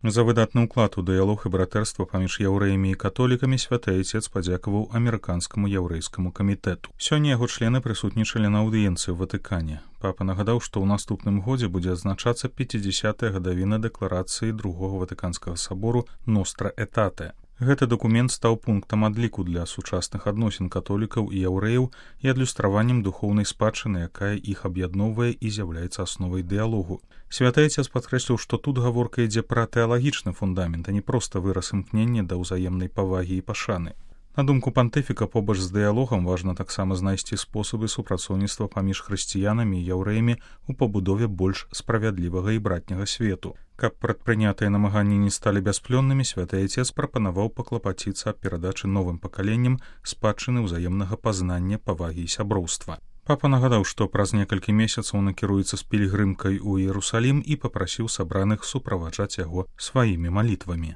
За выдатны ўклад у дыялог і братэрства паміж яўрэямі і католікамі святы Айцец падзякаваў амерыканскаму яўрэйскаму камітэту. Сёння яго члены прысутнічалі на аўдыенцыі ў Ватыкане. Папа нагадаў, што ў наступным годзе будзе адзначацца 50-я гадавіна дэкларацыі Другога Ватыканскага сабору «Ностра Этате». Гэты дакумент стаў пунктам адліку для сучасных адносін католікаў і яўрэяў і адлюстраваннем духоўнай спадчыны, якая іх аб'ядноўвае і з'яўляецца асновай дыялогу. Святы Айцец падкрэсліў, што тут гаворка ідзе пра тэалагічны фундамент, а не проста выраз імкнення да ўзаемнай павагі і пашаны. На думку пантыфіка, побач з дыялогам важна таксама знайсці спосабы супрацоўніцтва паміж хрысціянамі і яўрэямі ў пабудове больш справядлівага і братняга свету. Каб прадпрынятыя намаганні не сталі бясплённымі, святы Айцец прапанаваў паклапаціцца аб перадачы новым пакаленням спадчыны ўзаемнага пазнання, павагі і сяброўства. Папа нагадаў, што праз некалькі месяцаў накіруецца з пільгрымкай у Іерусалім і папрасіў сабраных суправаджаць яго сваімі малітвамі.